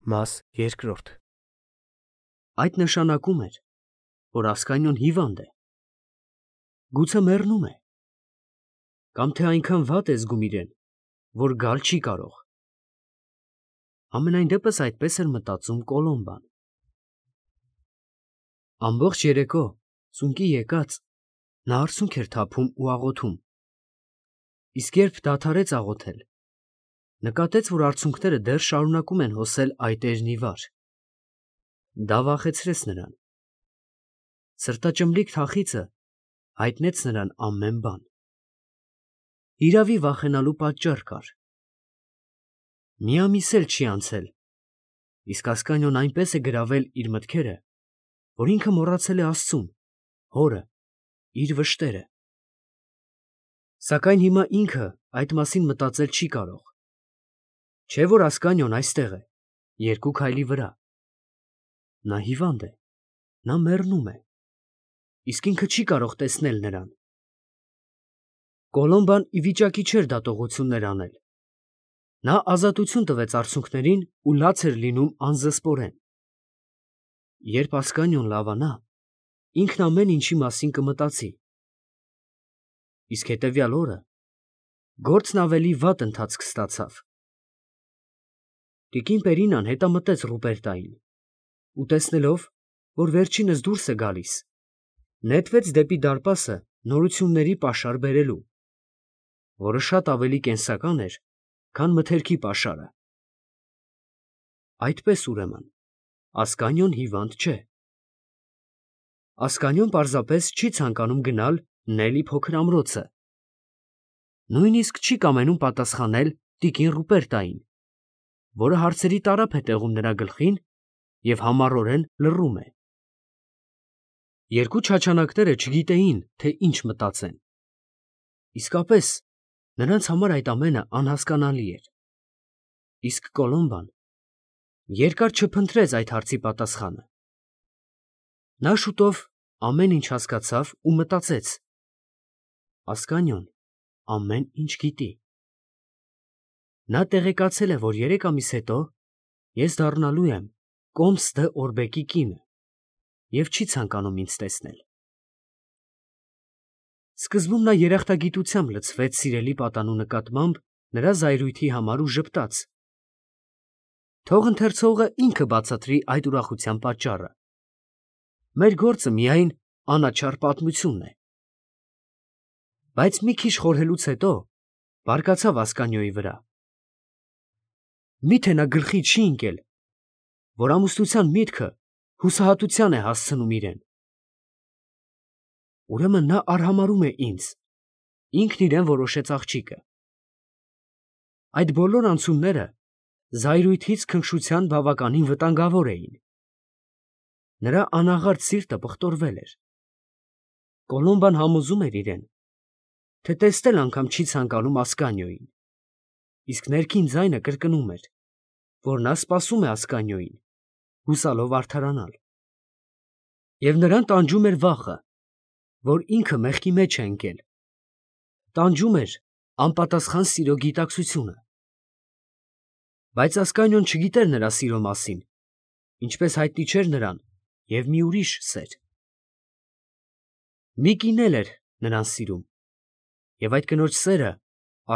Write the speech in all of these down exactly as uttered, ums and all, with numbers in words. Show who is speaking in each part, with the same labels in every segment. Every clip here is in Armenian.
Speaker 1: Մաս երկրորդ Այդ նշանակում էր, որ Ասկանիոն հիվանդ է, գուցե մեռնում է, կամ թե այնքան վատ է զգում իրեն, որ գալ չի կարող։ Համենայն դեպս այդպես էր մտածում Կոլոմբան։ Ամբողջ երեկո ծունկի եկած նա արցունք էր թափում ու աղոթում, իսկ երբ դադարեց աղոթել, նկատեց, որ արցունքները դեռ շարունակում են հոսել այտերն ի վար։ Դա վախեցրեց նրան։ Սրտաճմլիկ թախիծը հայտնեց նրան ամեն բան։ Իրավի վախենալու պատճառ կար։ Մի ամիս էլ չի անցել, իսկ Ասկանիոն այնպես է գրավել իր մտքերը, որ ինքը մոռացել է Աստծուն, հորը, իր վշտերը։ Սակայն հիմա ինքը այդ մասին մտածել չի կարող։ Չէ՞ որ Ասկանիոն այստեղ է, երկու քայլի վրա։ Նա հիվանդ է, նա մեռնում է, իսկ ինքը չի կարող տեսնել նրան։ Կոլոմբան ի վիճակի չէր դատողություններ անել։ Նա ազատություն տվեց արցունքներին ու լաց էր լինում անզսպորեն։ Երբ Ասկանիոն լավանա, ինքն ամեն ինչի մասին կմտածի։ Իսկ հետևյալ օրը գործն ավելի վատ ընթացք ստացավ։ Տիկին Պերինան հետամտեց Ռուպերտային ու տեսնելով, որ վերջինս դուրս է գալիս, նետվեց դեպի դարպասը նորությունների պաշար բերելու, որը շատ ավելի կենսական էր, քան մթերքի պաշարը։ Այդպես, ուրեմն, Ասկանիոն հիվանդ չէ։ Ասկանիոն պարզապես չի ցանկանում գնալ Նելի փոքր ամրոցը, նույնիսկ չի կամենում պատասխանել տիկին Ռուպերտային, որը հարցերի տարափ է տեղում նրա գլխին և համառորեն լռում է։ Երկու չաչանակները չգիտեին, թե ինչ մտածեն։ Իսկապես, նրանց համար այդ ամենը անհասկանալի էր։ Իսկ Կոլոմբան երկար չփնտրեց այդ հարցի պատասխանը։ Նա շուտով ամեն ինչ հասկացավ ու մտածեց. Ասկանիոն ամեն ինչ գիտի։ Նա տեղեկացել է, որ երեք ամիս հետո ես դառնալու եմ Կոմս դ'Օրբեկի կինը և չի ցանկանում ինձ տեսնել։ Սկզբում նա երախտագիտությամբ լցվեց սիրելի պատանու նկատմամբ նրա զայրույթի համար ու ժպտաց. թող ընթերցողը ինքը բացատրի այդ ուրախության պատճառը։ Մեր գործը միայն անաչառ պատմությունն է։ Բայց մի քիչ խորհելուց հետո բարկացավ Ասկանիոյի վրա։ Մի՞թե նա գլխի չի ընկել, որ ամուսնության միտքը հուսահատության է հասցնում իրեն։ Ուրեմն նա արհամարհում է ինձ, ինքն իրեն որոշեց աղջիկը։ Այդ բոլոր անցումները զայրույթից քնքշության բավականին վտանգավոր էին։ Նրա անաղարտ սիրտը պղտորվել էր։ Կոլոմբան համոզում էր իրեն, թե տեսնել անգամ չի ցանկանում Ասկանիոյին, իսկ ներքին ձայնը կրկնում էր, որ նա սպասում է Ասկանիոյին, հուսալով արդարանալ։ Եվ նրան տանջում էր վախը, որ ինքը մեղքի մեջ է ընկել, տանջում էր անպատասխան սիրո գիտակցությունը։ Բայց Ասկանիոն չգիտեր նրա սիրո մասին, ինչպես հայտնի չէր նրան և մի ուրիշ սեր։ Մի կին էլ էր նրան սիրում, և այդ կնոջ սերը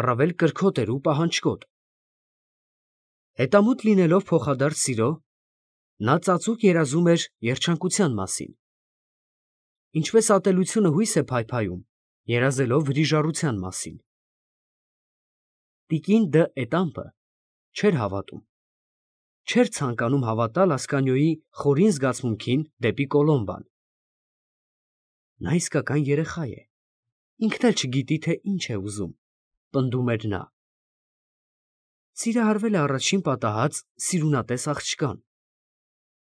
Speaker 1: առավել կրքոտ էր ու պահանջկոտ։ Հետամուտ լինելով փոխադարձ սիրո, նա ծածուկ երազում էր երջանկության մասին։ Ինչպես ատելությունը հույս է փայփայում, երազելով վրիժառության մասին։ Տիկին Դ'Ետամպը չէր հավատում, չէր ցանկանում հավատալ Ասկանիոյի խորին զգացմունքին դեպի Կոլոմբան։ Նա իսկական երեխա է, ինքն էլ չգիտի, թե ինչ է ուզում, պնդում էր նա։ Սիրահարվել է առաջին պատահած սիրունատես աղջկան,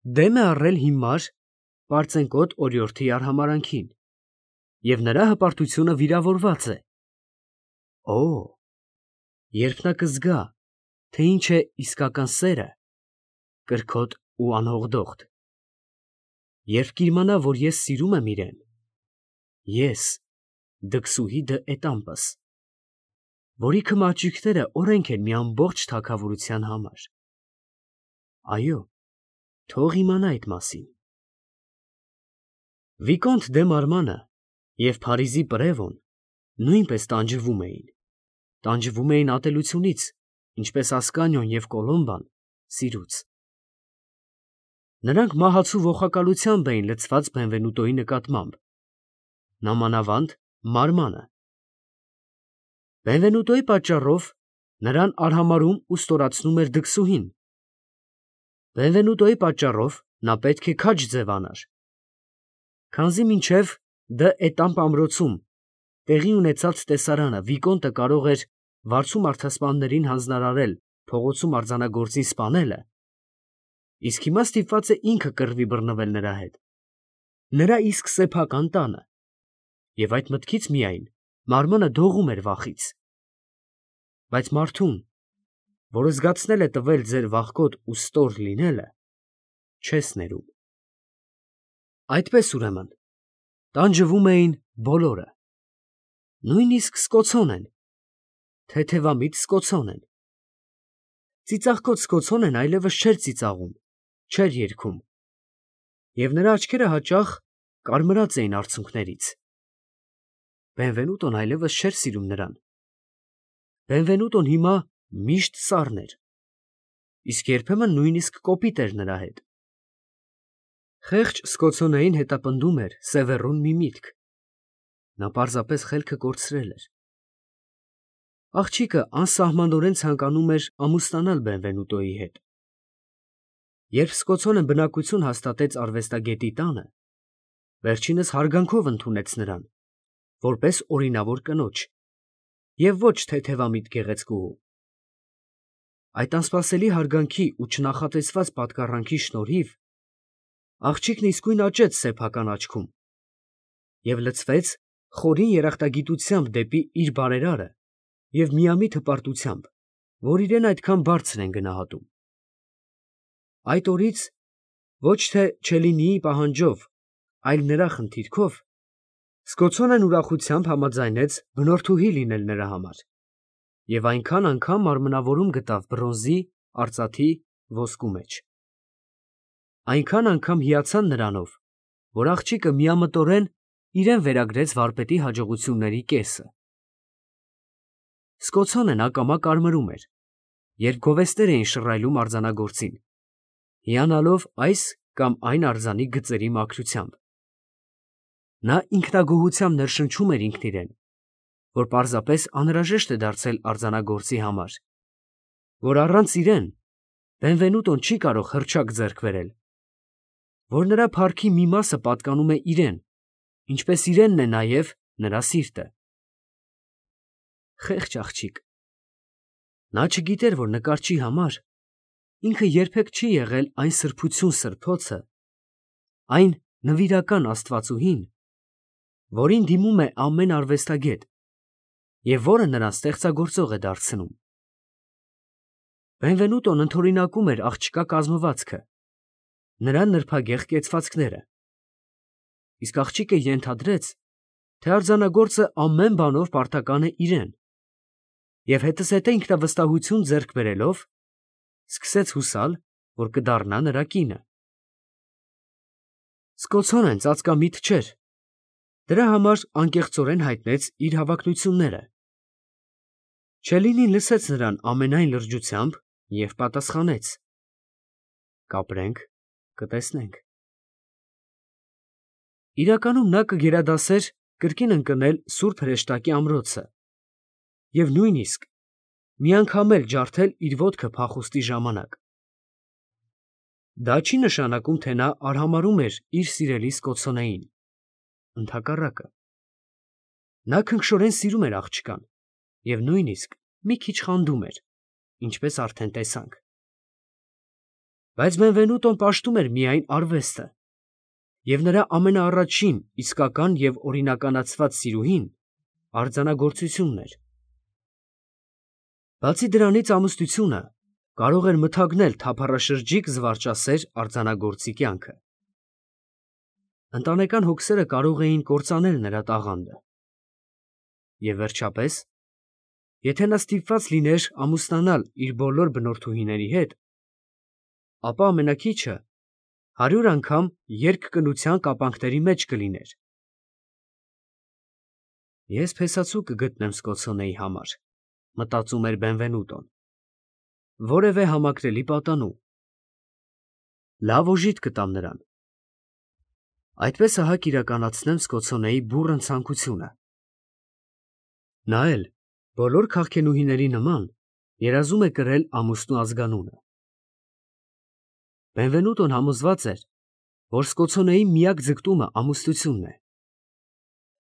Speaker 1: դեմ է առել հիմար, պարծենկոտ օրիորդի արհամարհանքին, և նրա հպարտությունը վիրավորված է։ Օ՜, երբ նա կզգա, թե ինչ է իսկական սերը, կրքոտ ու անհողդողդ, երբ կիմանա, որ ես սիրում եմ իրեն, ես, դքսուհի Դ'Ետամպս, որի քմաճիկները օրենք են մի ամբողջ թագավորության համար, Այո, թող իմանա այդ մասին։ Վիկոնտ դե Մարմանը և Փարիզի Պրևոն նույնպես տանջվում էին, տանջվում էին ատելությունից, ինչպես Ասկանիոն և Կոլոմբան սիրուց։ Նրանք մահացու ոխակալությամբ էին լցված Բենվենուտոյի նկատմամբ, նամանավանդ Մարմանը։ Բենվենուտոյի պատճառով նրան արհամարհում ու ստորացնում էր դքսուհին։ Բենվենուտոյի պատճառով նա պետք է քաջ ձևանար, քանզի մինչև Դ Էտամպ ամրոցում տեղի ունեցած տեսարանը Վիկոնտը կարող էր վարձու մարդասպաններին հանձնարարել փողոցում արձանագործին սպանելը, իսկ հիմա ստիպված է ինքը կռվի բռնվել նրա հետ, նրա իսկ սեփական տանը, և այդ մտքից միայն Մարմանը դողում էր վախից։ Բայց մարդուն, որը զգացնել է տվել ձեր վախկոտ ու ստոր լինելը, չես ներում։ Այդպես ուրեմն, տանջվում էին բոլորը, նույնիսկ սկոցոն են, թեթևամիտ սկոցոն են։ Ծիծաղկոտ սկոցոնեն այլևս չէր ծիծաղում, չէր երգում, և նրա աչքերը հաճախ կարմրած էին արցունքներից։ Բենվենուտոն այլևս չէր սիրում նրան։ Բենվենուտոն հիմա միշտ սառն էր, իսկ երբեմն նույնիսկ կոպիտ էր նրա հետ։ Խեղճ սկոցոնեին հետապնդում էր Սևեռուն մի միտք. նա պարզապես խելքը կորցրել էր։ Աղջիկը անսահմանորեն ցանկանում էր ամուսնանալ Բենվենուտոյի հետ։ Երբ սկոցոնը բնակություն հաստատեց արվեստագետի տանը, վերջինս հարգանքով ընդունեց նրան, որպես օրինավոր կնոջ, և ոչ թեթևամիտ գեղեցկուհու։ Այդ անսպասելի հարգանքի ու չնախատեսված պատկառանքի շնորհիվ աղջիկն իսկույն աճեց սեփական աչքում և լցվեց խորին երախտագիտությամբ դեպի իր բարերարը և միամիտ հպարտությամբ, որ իրեն այդքան բարձր են գնահատում։ Այդ օրից ոչ թե Չելինիի պահանջով, այլ նրա խնդիրքով, սկոցոնեն ուրախությամբ համաձայնեց բնորդուհի լինել նրա համար և այնքան անգամ մարմնավորում գտավ բրոնզի, արծաթի, ոսկու մեջ։ Այնքան անգամ հիացան նրանով, որ աղջիկը միամտորեն իրեն վերագրեց վարպետի հաջողությունների կեսը։ Սկոցոնեն ակամա կարմրում էր, երբ գովեստներ էին շռայլում արձանագործին, հիանալով այս կամ այն արձանի գծերի մաքրությամբ։ Նա ինքնագոհությամբ ներշնչում էր ինքն իրեն, որ պարզապես անհրաժեշտ է դարձել արձանագործի համար, որ առանց իրեն Բենվենուտոն չի կարող հռչակ ձեռք բերել, որ նրա փառքի մի մասը պատկանում է իրեն, ինչպես իրենն է նաև նրա սիրտը։ Խեղճ աղջիկ։ Նա չգիտեր, որ նկարչի համար ինքը երբեք չի եղել այն սրբություն սրբոցը, այն նվիրական աստվածուհին, որին դիմում է ամեն արվեստագետ և որը նրան ստեղծագործող է դարձնում։ Բենվենուտոն ընդօրինակում էր աղջկա կազմվածքը, նրա նրբագեղ կեցվածքները, իսկ աղջիկը ենթադրեց, թե արձանագործը ամեն բանով պարտական է իրեն, և հետզհետե ինքնավստահություն ձեռք բերելով, սկսեց հուսալ, որ կդառնա նրա կինը։ Սկոցոնեն ծածկամիտ չէր, դրա համար անկեղծորեն հայտնեց իր հավակնությունները։ Չելինին լսեց նրան ամենայն լրջությամբ և պատասխանեց. կապրենք, կտեսնենք։ Իրականում նա կգերադասեր կրկին ընկնել Սուրբ Հրեշտակի ամրոցը և նույնիսկ մի անգամ էլ ջարդել իր ոտքը փախուստի ժամանակ։ Դա չի նշանակում, թե նա արհամարհում էր իր սիրելի սկոցոնեին, ընդհակառակը, նա քնքշորեն սիրում էր աղջկան և նույնիսկ մի քիչ խանդում էր, ինչպես արդեն տեսանք։ Բայց Բենվենուտոն պաշտում էր միայն արվեստը, և նրա ամենաառաջին իսկական և օրինականացված սիրուհին արձանագործությունն էր։ Բացի դրանից ամուսնությունը կարող էր մթագնել թափառաշրջիկ զվարճասեր արձանագործի կյանքը։ Ընտանեկան հոգսերը կարող էին կործանել նրա տաղանդը։ Եվ վերջապես, եթե նա ստիպված լիներ ամուսնանալ իր բոլոր բնորդուհիների հետ, ապա ամենաքիչը հարյուր անգամ երկկնության կապանքների մեջ կլիներ։ Ես փեսացու կգտնեմ Սկոցոնեի համար, մտածում էր Բենվենուտոն, որևէ համակրելի պատանու։ Լավ օժիտ կտամ նրան։ Այդպես ահա կիրականացնեմ Սկոցոնեի բուռն ցանկությունը։ Նա էլ, բոլոր քաղքենուհիների նման, երազում է կրել ամուսնու ազգանունը։ Բենվենուտոն համոզված էր, որ Սկոցոնեի միակ ձգտումը ամուսնությունն է,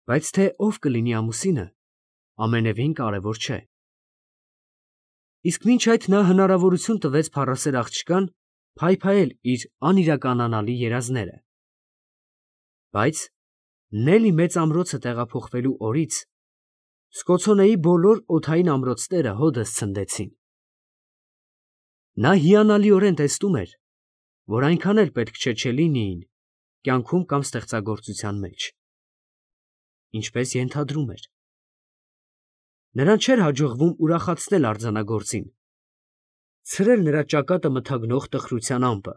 Speaker 1: բայց թե ով կլինի ամուսինը, ամենևին կարևոր չէ։ Իսկ մինչ այդ նա հնարավորություն տվեց փառասեր աղջկան փայփայել իր անիրականանալի երազները։ Բայց Նելի մեծ ամրոցը տեղափոխվելու օրից Սկոցոնեի բոլոր օդային ամրոցները հօդս ցնդեցին։ Նա հիանալիորեն տեսնում էր, որ այնքան էլ պետք չէ Չելլինիին կյանքում կամ ստեղծագործության մեջ, ինչպես ենթադրում էր։ Նրան չէր հաջողվում ուրախացնել արձանագործին, ցրել նրա ճակատը մթագնող տխրության ամպը։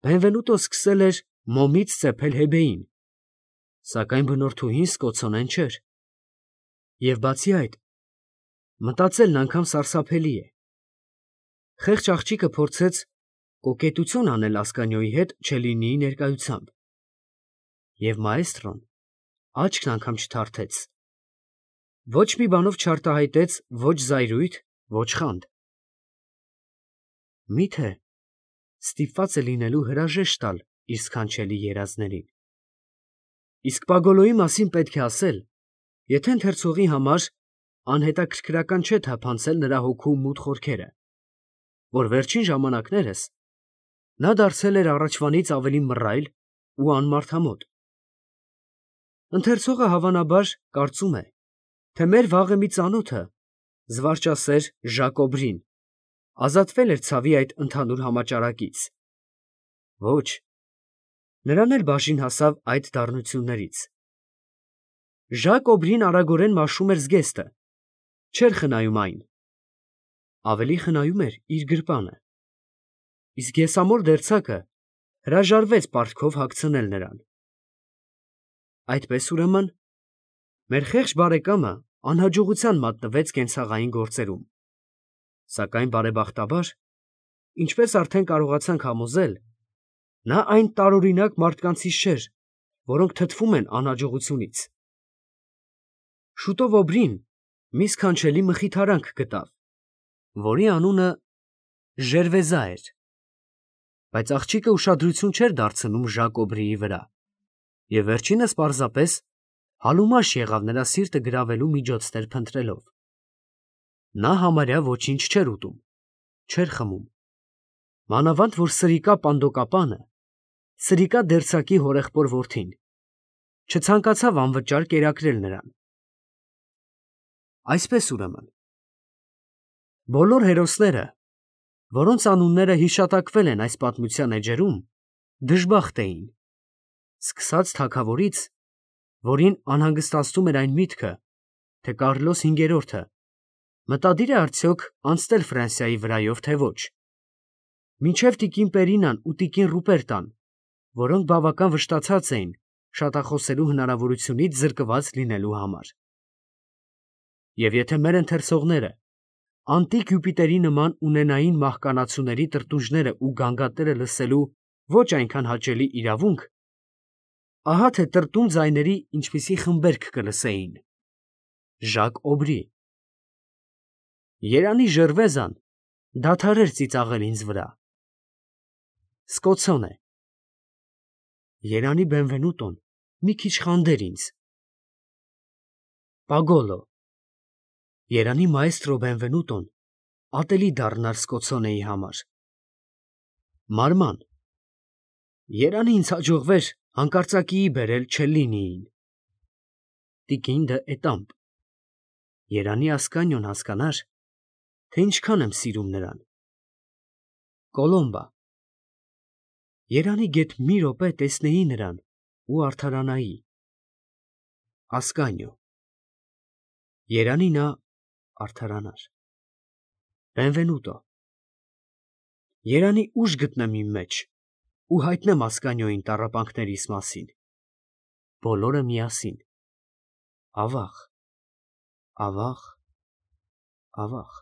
Speaker 1: Բենվենուտոն սկսել էր մոմից ծեփել Հեբեին, սակայն բնորդուհին Սկոցոնեն չէր։ Եվ բացի այդ, մտածելն անգամ սարսափելի է։ Խեղճ աղջիկը փորձեց կոկետություն անել Ասկանիոյի հետ Չելլինիի ներկայությամբ, և մաեստրոն աչքն անգամ չթարթեց, ոչ մի բանով չարտահայտեց ոչ զայրույթ, ոչ խանդ։ Մի՞թե ստիպված է լինելու հրաժեշտ տալ իր սքանչելի երազներին։ Իսկ Պագոլոյի մասին պետք է ասել, եթե ընթերցողի համար անհետաքրքրական չէ թափանցել նրա հոգու մութ խորքերը, որ վերջին ժամանակներս նա դարձել էր առաջվանից ավելի մռայլ ու անմարդամոտ։ Ընթերցողը հավանաբար կարծում է, թե մեր վաղը մի ծանոթը, զվարճասեր Ժակոբրին, ազատվել էր ցավի այդ ընդհանուր համաճարակից։ Ոչ, նրան էլ բաժին հասավ այդ դառնություններից։ Ժակոբրին արագորեն մաշում էր զգեստը, չէր խնայում այն, ավելի խնայում էր իր գրպանը, իսկ եսամոր դերձակը հրաժարվեց պարտքով հագցնել նրան։ Այդպես ուրեմն, մեր խեղճ բարեկամը անհաջողության մատնվեց կենցաղային գործերում, սակայն բարեբախտաբար, ինչպես արդեն կարողացանք համոզել, նա այն տարօրինակ մարդկանցից չէր, որոնք թթվում են անհաջողությունից։ Շուտով Օբրին մի սքանչելի մխիթարանք գտավ, որի անունը Ժերվեզա էր, բայց աղջիկը ուշադրություն չէր դարձնում Ժակոբրիի վրա, և վերջինս պարզապես հալումաշ եղավ նրա սիրտը գրավելու միջոցներ փնտրելով։ Նա համարյա ոչինչ չէր ուտում, չէր խմում, մանավանդ որ սրիկա Պանդոկապանը, սրիկա դերձակի հորեղբոր որդին, չցանկացավ անվճար կերակրել նրան։ Այսպես ուրեմն, բոլոր հերոսները, որոնց անունները հիշատակվել են այս պատմության էջերում, դժբախտ էին, սկսած թագավորից, որին անհանգստացնում էր այն միտքը, թե Կարլոս հինգերորդը մտադիր է արդյոք անցնել Ֆրանսիայի վրայով, թե ոչ, մինչև տիկին Պերինան ու տիկին Ռուպերտան, որոնք բավական վշտացած էին շատախոսելու հնարավորությունից զրկված լինելու համար։ Եվ եթե մեր ընթերցողները անտիկ Յուպիտերի նման ունենային մահկանացուների տրտունջները ու գանգատները լսելու ոչ այնքան հաճելի իրավունք, ահա թե տրտուն ձայների ինչպիսի խմբերգ կլսեին. Ժակ Օբրի, երանի Ժերվեզան դադարեր ծիծաղել ինձ վրա, Սկոցոնե, երանի Բենվենուտոն մի քիչ խանդեր ինձ, Պագոլո, երանի մաեստրո Բենվենուտոն ատելի դառնար Սկոցոնեի համար, Մարման, երանի ինձ հաջողվեր հանկարծակիի բերել Չելլինիին, տիկին դը Էտամպ, երանի Ասկանիոն հասկանար, թե ինչքան եմ սիրում նրան, Կոլոմբա, երանի գեթ մի րոպե տեսնեի նրան ու արդարանայի, Ասկանիո, երանի նա արդարանար, Բենվենուտո, երանի ուժ գտնեմ իմ մեջ ու հայտնեմ Ասկանիոյին տառապանքներիս մասին, բոլորը միասին, ավաղ, ավաղ, ավաղ։